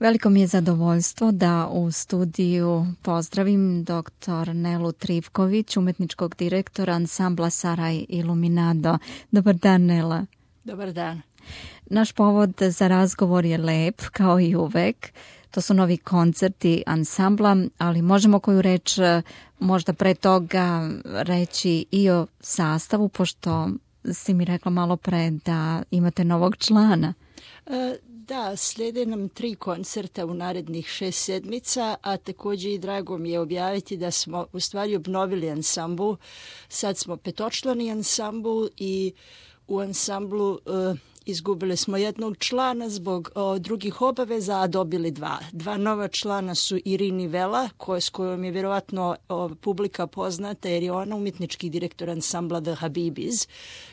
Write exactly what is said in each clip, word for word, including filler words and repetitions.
Veliko mi je zadovoljstvo da u studiju pozdravim doktor Nelu Trivković, umetničkog direktora ansambla Saraj Iluminado. Dobar dan, Nela. Dobar dan. Naš povod za razgovor je lep, kao i uvek. To su novi koncerti ansambla, ali možemo koju reč možda pre toga reći i o sastavu, pošto si mi rekla malo pre da imate novog člana. E, da, slijede nam tri koncerta u narednih šest sedmica, a također i drago mi je objaviti da smo u stvari obnovili ansambl. Sad smo petočlani ansambl i u ansamblu e, izgubili smo jednog člana zbog o, drugih obaveza, a dobili dva. Dva nova člana su Irini Vela, koje, s kojom je vjerovatno o, publika poznata, jer je ona umjetnički direktor ansambla The Habibis,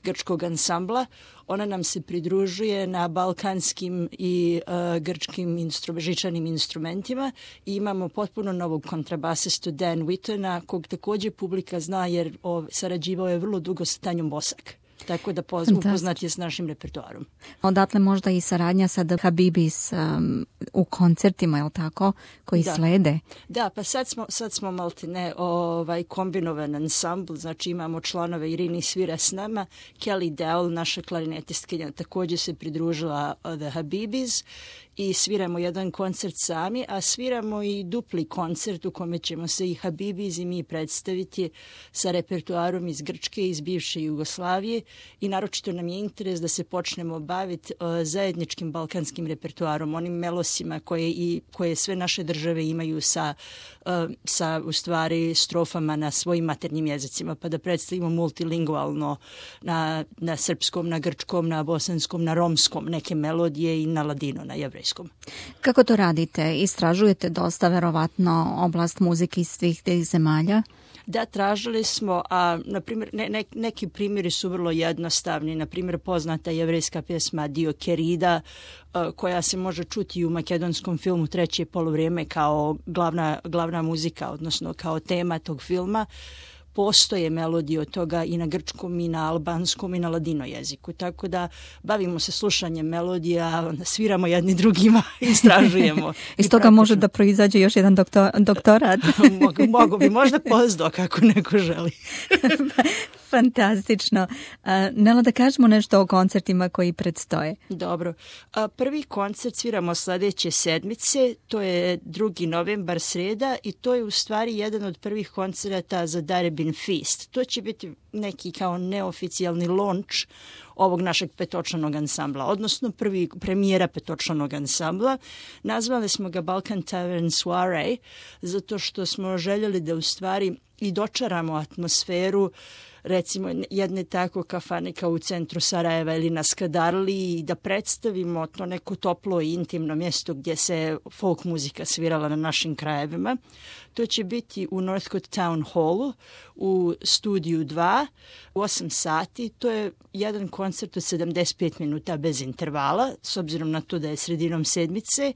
grčkog ansambla. Ona nam se pridružuje na balkanskim i uh, grčkim instru, žičanim instrumentima i imamo potpuno novog kontrabasistu Dan Whittona, kog također publika zna jer o, sarađivao je vrlo dugo sa Tanjom Bosak. Tako da upoznat je s našim repertoarom. Odatle možda i saradnja sa The Habibis um, u koncertima, je li tako, koji da. slede? Da, pa sad smo, sad smo maltene ovaj, kombinovan ansambl, znači imamo članove, Irini svira s nama, Kelly Dowell, naša klarinetistkinja, također se pridružila The Habibis i sviramo jedan koncert sami, a sviramo i dupli koncert u kome ćemo se i Habibis i mi predstaviti sa repertoarom iz Grčke, iz bivše Jugoslavije i naročito nam je interes da se počnemo baviti uh, zajedničkim balkanskim repertoarom, onim melosima koje, i, koje sve naše države imaju sa, uh, sa u stvari strofama na svojim maternjim jezicima, pa da predstavimo multilingualno na, na srpskom, na grčkom, na bosanskom, na romskom neke melodije i na ladino, na jevrejskom. Kako to radite? Istražujete dosta verovatno oblast muzike iz svih tih zemalja? Da, tražili smo, a na primjer, ne, ne, neki primjeri su vrlo jednostavni. Na primjer, poznata jevrejska pjesma Dio Kerida, uh, koja se može čuti u makedonskom filmu Treće polovrijeme kao glavna, glavna muzika, odnosno kao tema tog filma. Postoje melodije od toga i na grčkom, i na albanskom, i na ladino jeziku. Tako da bavimo se slušanjem melodija, onda sviramo jedni drugima, istražujemo. Iz toga može da proizađe još jedan doktor, doktorat. mogu, mogu bi, možda postdoc kako neko želi. Fantastično. Uh, Nela, da kažemo nešto o koncertima koji predstoje. Dobro. Uh, prvi koncert sviramo sljedeće sedmice, to je drugi novembar, sreda, i to je u stvari jedan od prvih koncerata za Darebin Feast. To će biti neki kao neoficijalni launch ovog našeg petočlanog ansambla, odnosno prvi premijera petočlanog ansambla. Nazvali smo ga Balkan Tavern Soiree, zato što smo željeli da u stvari i dočaramo atmosferu recimo jedne tako kafane kao u centru Sarajeva ili na Skadarli i da predstavimo to neko toplo i intimno mjesto gdje se folk muzika svirala na našim krajevima. To će biti u Northcote Town Hallu u studiju dva u osam sati. To je jedan koncert od sedamdeset pet minuta bez intervala, s obzirom na to da je sredinom sedmice,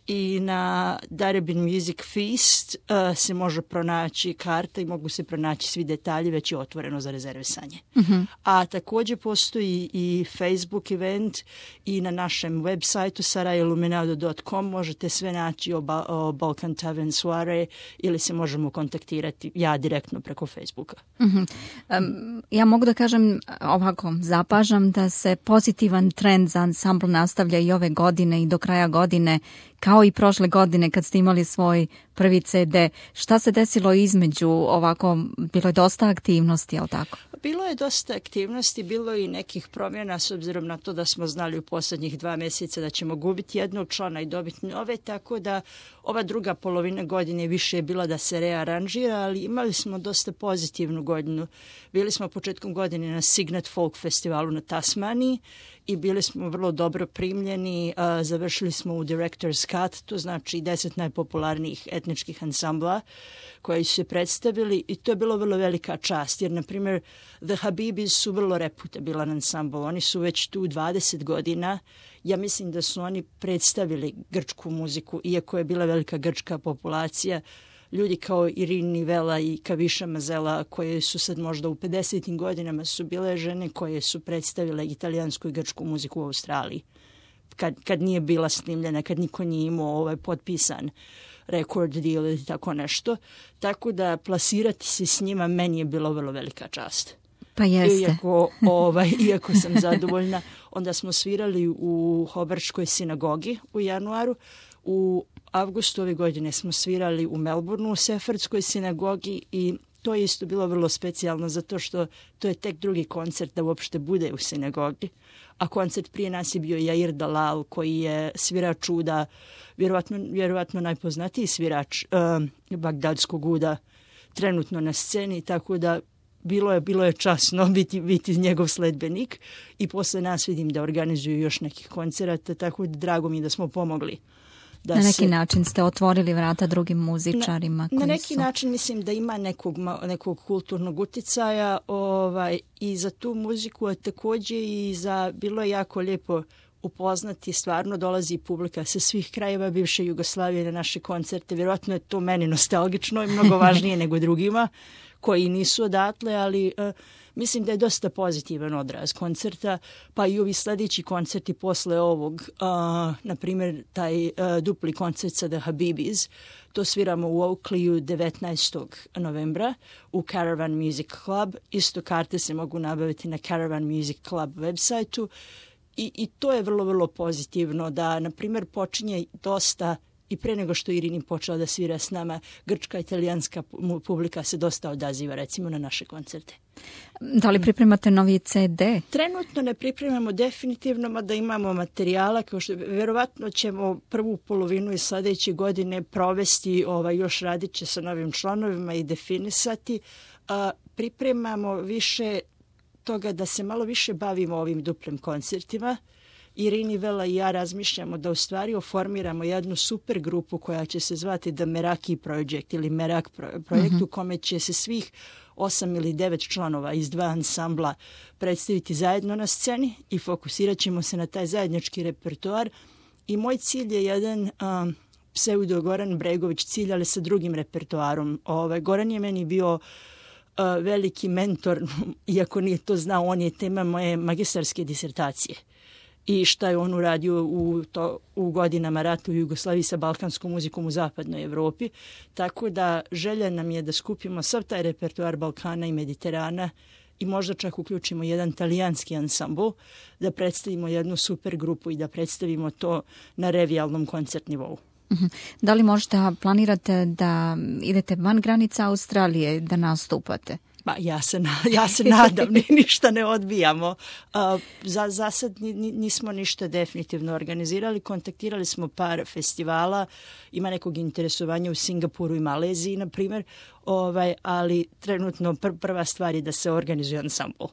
i na Darebin Music Feast uh, se može pronaći karta i mogu se pronaći svi detalji, već je otvoreno za rezervisanje. Mm-hmm. A također postoji i Facebook event i na našem web sajtu saraj iluminado dot com možete sve naći o, ba- o Balkan Tavern Soiree ili se možemo kontaktirati ja direktno preko Facebooka. Mm-hmm. Um, ja mogu da kažem ovako, zapažam da se pozitivan trend za ansambl nastavlja i ove godine i do kraja godine, kao i prošle godine kad ste imali svoj prvi ce de. Šta se desilo između ovako? Bilo je dosta aktivnosti, je li tako? Bilo je dosta aktivnosti, bilo je i nekih promjena s obzirom na to da smo znali u posljednjih dva mjeseca da ćemo gubiti jednog člana i dobiti nove, tako da ova druga polovina godine više je bila da se rearanžira, ali imali smo dosta pozitivnu godinu. Bili smo početkom godine na Signet Folk festivalu na Tasmaniji i bili smo vrlo dobro primljeni. Uh, završili smo u Director's Cut, to znači deset najpopularnijih etničkih ansambla koji su se predstavili i to je bilo vrlo velika čast, jer na primjer The Habibis su vrlo reputabilan ansambl, oni su već tu dvadeset godina. Ja mislim da su oni predstavili grčku muziku, iako je bila velika grčka populacija. Ljudi kao Irini Vela i Kaviša Mazela, koje su sad možda u pedesetim godinama, su bile žene koje su predstavile italijansku i grčku muziku u Australiji. kad, kad nije bila snimljena, kad niko nije imao ovaj potpisan record deal ili tako nešto. Tako da plasirati se s njima meni je bilo vrlo velika čast. Pa jeste. Iako, ovaj, iako sam zadovoljna, onda smo svirali u Hobarčkoj sinagogi u januaru. U avgustu ove godine smo svirali u Melbourneu u Sefardskoj sinagogi i to je isto bilo vrlo specijalno zato što to je tek drugi koncert da uopšte bude u sinagogi. A koncert prije nas je bio Jair Dalal koji je svirač uda, vjerovatno, vjerovatno najpoznatiji svirač uh, bagdadskog uda trenutno na sceni, tako da bilo je, bilo je časno biti, biti njegov sledbenik i posle nas vidim da organizuju još nekih koncerata, tako da drago mi je da smo pomogli. Da na neki se, način ste otvorili vrata drugim muzičarima. Na, koji na neki su... način mislim da ima nekog, nekog kulturnog uticaja ovaj, i za tu muziku, a takođe i za, bilo je jako lijepo upoznati, stvarno dolazi publika sa svih krajeva bivše Jugoslavije na naše koncerte. Vjerojatno je to meni nostalgično i mnogo važnije nego drugima koji nisu odatle, ali uh, mislim da je dosta pozitivan odraz koncerta, pa i ovi sljedeći koncerti posle ovog, uh, na primjer taj uh, dupli koncert sa The Habibis, to sviramo u Oakleyu devetnaestog novembra u Caravan Music Club. Isto karte se mogu nabaviti na Caravan Music Club websajtu i, i to je vrlo, vrlo pozitivno da, na primjer, počinje dosta i pre nego što Irini počela da svira s nama, grčka i italijanska publika se dosta odaziva recimo na naše koncerte. Da li pripremate novi ce de? Trenutno ne pripremamo definitivno, mada imamo materijala, kao što verovatno ćemo prvu polovinu iz sledeće godine provesti, ovaj, još radit će sa novim članovima i definisati. A, pripremamo više toga da se malo više bavimo ovim duplim koncertima. Irini Vela i ja razmišljamo da u stvari oformiramo jednu super grupu koja će se zvati The Meraki Project ili Merak projekt, mm-hmm. u kome će se svih osam ili devet članova iz dva ansambla predstaviti zajedno na sceni i fokusirat ćemo se na taj zajednički repertoar. I moj cilj je jedan um, pseudo Goran Bregović cilj, ali sa drugim repertoarom. Ove, Goran je meni bio uh, veliki mentor, iako nije to znao, on je tema moje magistarske disertacije. I šta je on uradio u, to, u godinama rata u Jugoslaviji sa balkanskom muzikom u zapadnoj Evropi. Tako da želja nam je da skupimo sav taj repertoar Balkana i Mediterana i možda čak uključimo jedan talijanski ansambl, da predstavimo jednu super grupu i da predstavimo to na revijalnom koncert nivou. Da li možda planirate da idete van granica Australije da nastupate? Pa ja se, ja se nadam, ni ništa ne odbijamo. Uh, za, za sad nismo ništa definitivno organizirali. Kontaktirali smo par festivala, ima nekog interesovanja u Singapuru i Maleziji, na primjer, ovaj, ali trenutno pr prva stvar je da se organizuje ansambl.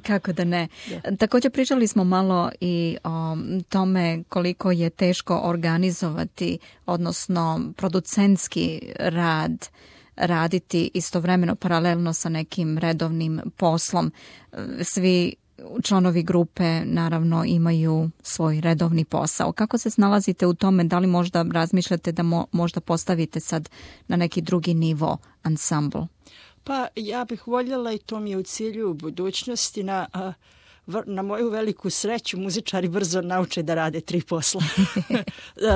Kako da ne. Da. Također pričali smo malo i o tome koliko je teško organizovati, odnosno producentski rad, raditi istovremeno paralelno sa nekim redovnim poslom. Svi članovi grupe naravno imaju svoj redovni posao. Kako se snalazite u tome? Da li možda razmišljate da mo možda postavite sad na neki drugi nivo ansambl? Pa ja bih voljela i to mi je u cilju u budućnosti. Na, na moju veliku sreću muzičari brzo nauče da rade tri posla.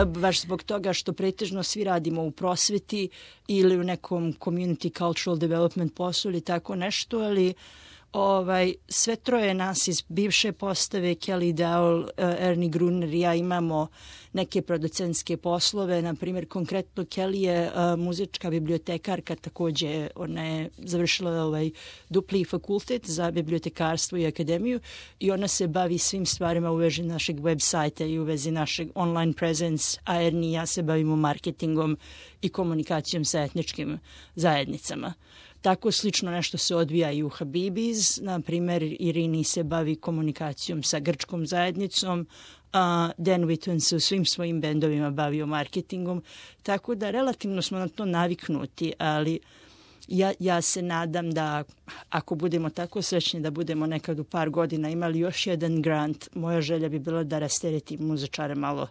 Baš zbog toga što pretežno svi radimo u prosveti ili u nekom community cultural development poslu ili tako nešto, ali ovaj, sve troje nas iz bivše postave, Kelly Dowell, Ernie Gruner i ja imamo neke producentske poslove. Na primjer, konkretno Kelly je uh, muzička bibliotekarka, takođe ona je završila ovaj dupli fakultet za bibliotekarstvo i akademiju i ona se bavi svim stvarima u vezi našeg web sajta i u vezi našeg online presence, a Ernie i ja se bavimo marketingom i komunikacijom sa etničkim zajednicama. Tako slično nešto se odvija i u Habibis. Na primjer, Irini se bavi komunikacijom sa grčkom zajednicom, a Dan Whitton se u svim svojim bendovima bavio marketingom. Tako da relativno smo na to naviknuti, ali ja, ja se nadam da ako budemo tako srećni da budemo nekad u par godina imali još jedan grant, moja želja bi bila da rasteretim muzičare malo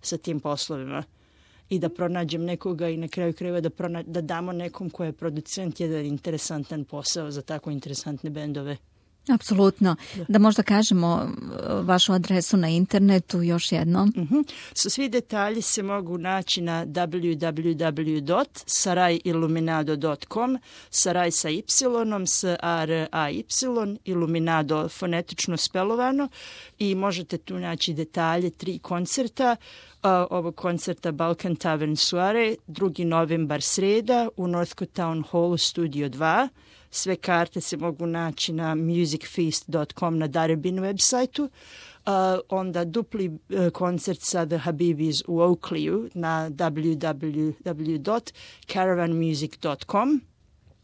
sa tim poslovima i da pronađem nekoga i na kraju krajeva da, da damo nekom ko je producent jedan interesantan posao za tako interesantne bendove. Apsolutno. Da. da možda kažemo vašu adresu na internetu još jednom. Uh-huh. So, svi detalji se mogu naći na w w w dot sarai iluminado dot com, Saraj sa Y, s a r a y, Iluminado fonetično spelovano, i možete tu naći detalje tri koncerta. Uh, ovog koncerta Balkan Tavern Soiree, drugi novembar sreda u Northcote Town Hallu Studio dva. Sve karte se mogu naći na music feast dot com na Darebin websajtu. Uh, onda dupli uh, koncert sa The Habibis u Oakleyu na w w w dot caravan music dot com.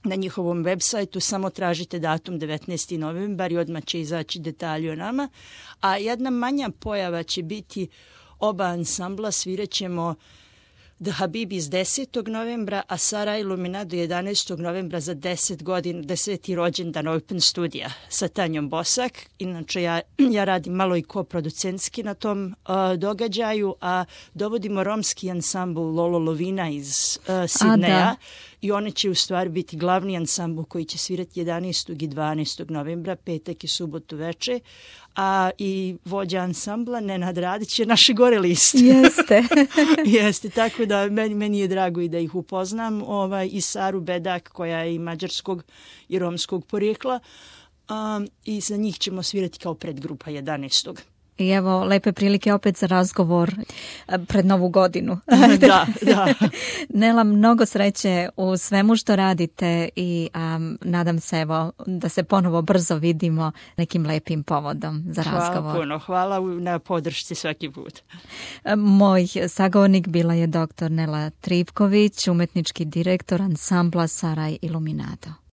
Na njihovom websajtu samo tražite datum devetnaesti novembar i odmah će izaći detalji o nama. A jedna manja pojava će biti oba ansambla, svirat ćemo The Habibis desetog novembra, a Sara Iluminado jedanaestog novembra za deset godina, deseti rođendan Open Studija sa Tanjom Bosak. Inače, ja, ja radim malo i koproducentski na tom uh, događaju, a dovodimo romski ansambl Lolo Lovina iz uh, Sidneja. I one će u stvari biti glavni ansambl koji će svirati jedanaestog i dvanaestog novembra, petak i subotu veče, a i vođa ansambla Nenad Radić je naše gore list. Jeste. Jeste, tako da meni, meni je drago i da ih upoznam, ovaj, i Saru Bedak koja je i mađarskog i romskog porijekla, um, i za njih ćemo svirati kao predgrupa jedanaestog I evo, lepe prilike opet za razgovor pred Novu godinu. Da, da. Nela, mnogo sreće u svemu što radite i um, nadam se evo da se ponovo brzo vidimo nekim lepim povodom za razgovor. Hvala puno, hvala na podršci svaki put. Moj sagovornik bila je doktor Nela Tripković, umetnički direktor ansambla Saraj Iluminado.